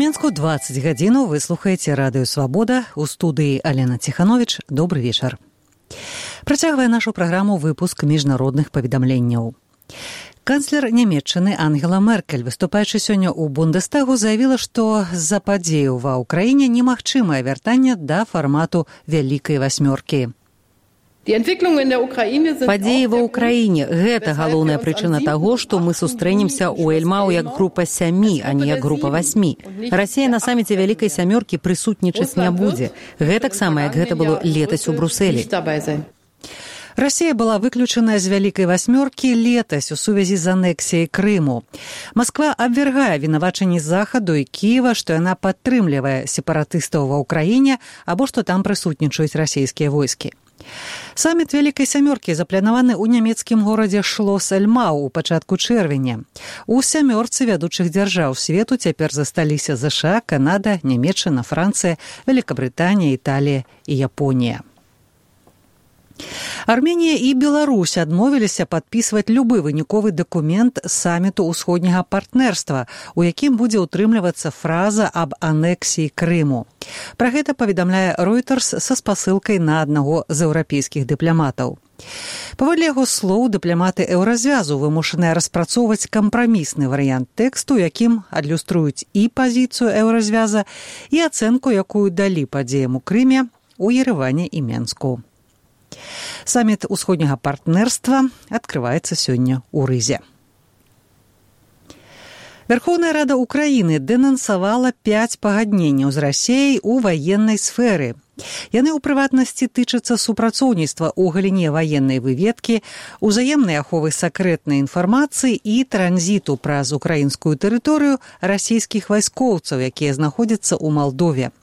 Мінску 20 гадзінаў вы слухаеце радыё «Свабода». У студыі Алена Ціхановіч. Добры вечар. Працягвае нашу праграму выпуск міжнародных паведамленняў. Канцлер Нямецчыны Ангела Меркель, выступаючы сёння ў Бундестагу, заявіла, што з-за падзеяў ва ўкраіне немагчымае вяртанне да фармату Вялікай васьмёркі. Падзеі ва ўкраіне – гэта галоўная прычына таго, што мы сустрэнемся ў Эльмау як група 7, а не як група 8. Расія на саміце Вялікай сямёркі прысутнічаць не будзе. Гэтаксама, як гэта было летась у Брусэлі. Расія была выключаная з Вялікай васьмёркі летась у сувязі з анексіяй Крыму. Масква абвяргае вінавачанні Захаду і Кіева, што яна падтрымлівае сепаратыстаў ва ўкраіне або што там прысутнічаюць расійскія войскі. Саміт Вялікай сямёркі запланаваны ў нямецкім горадзе Шлос-Эльмау у пачатку чэрвеня. У сямёрцы вядучых дзяржаў свету цяпер засталіся ЗША, Канада, Нямецчына, Францыя, Вялікабрытанія, Італія і Японія. Арменія і Беларусь адмовіліся падпісваць любы выніковы дакумент саміту ўсходняга партнерства, у якім будзе ўтрымлівацца фраза аб анексіі Крыму. Пра гэта паведамляе Reuters са спасылкай на аднаго з еўрапейскіх дыпламатаў. Паводле яго слоў, дыпламаты еўразвязу вымушаныя распрацоўваць кампрамісны варыянт тэксту, якім адлюструюць і пазіцыю еўразвяза, і ацэнку, якую далі падзеям у Крыме, у Ерэване і Менску. Саміт усходняга партнерства адкрываецца сёння ў Рызе. Верховная Рада Украіны дэнансавала 5 пагадненняў з Расіяй у ваеннай сферы. Яны ў прыватнасці тычацца супрацоўніцтва ў галіне ваеннай выведкі, узаемнай аховы сакрэтнай інфармацыі і транзіту праз украінскую тэрыторыю расійскіх вайскоўцаў, якія знаходзяцца ў Малдове.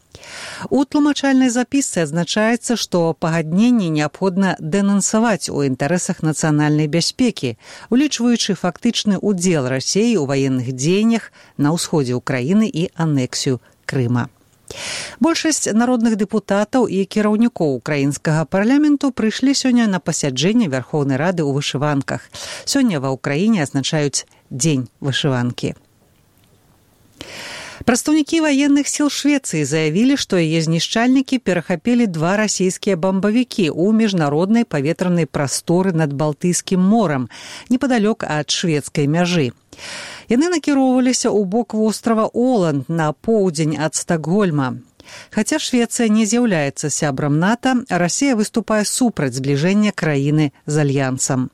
У тлумачальнай запісцы адзначаецца, што пагадненне неабходна дэнансаваць у інтарэсах нацыянальнай бяспекі, улічваючы фактычны ўдзел Расіі ў ваенных дзеяннях на ўсходзе ўкраіны і анексію Крыма. Большасць народных дэпутатаў і кіраўнікоў украінскага парламенту прыйшлі сёння на пасяджэнне Верховнай Рады ў вышыванках. Сёння ва ўкраіне азначаюць Дзень вышыванкі. Прадстаўнікі ваенных сіл Швецыі заявілі, што яе знішчальнікі перахапілі 2 расійскія бамбавікі ў міжнароднай паветранай прасторы над Балтыйскім морам, непадалёк ад шведскай мяжы. Яны накіроўваліся ў бок вострава Оланд на поўдзень ад Стакгольма. Хаця Швецыя не з'яўляецца сябрам НАТО, Расія выступае супраць збліжэння краіны з альянсам.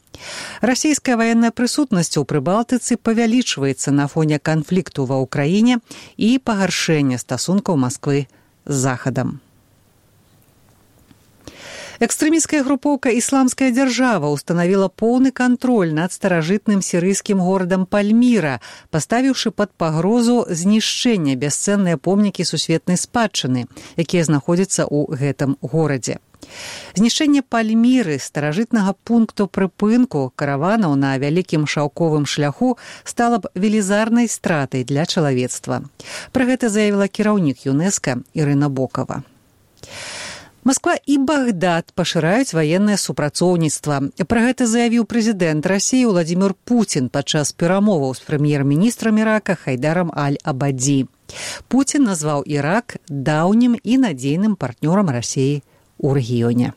Расійская ваенная прысутнасць у Прыбалтыцы павялічваецца на фоне канфлікту ва ўкраіне і пагаршэння стасункаў Масквы з Захадам. Экстрэмісцкая групоўка «Ісламская дзяржава» устанавіла поўны кантроль над старажытным сірыйскім горадам Пальміра, паставіўшы пад пагрозу знішчэння бясцэнныя помнікі сусветнай спадчыны, якія знаходзяцца ў гэтым горадзе. Знішчэнне Пальміры, старажытнага пункту прыпынку караванаў на вялікім шаўковым шляху, стала б велізарнай стратай для чалавецтва. Пра гэта заявіла кіраўнік ЮНЕСКО Ірына Бокава. Масква і Багдад пашыраюць ваеннае супрацоўніцтва. Пра гэта заявіў прэзідэнт Расіі Владзімір Пуцін падчас перамоваў з прэм'ер-міністрам Ірака Хайдарам Аль-Абадзі. Пуцін назваў Ірак даўнім і надзейным партнёрам Расіі ў рэгіёне.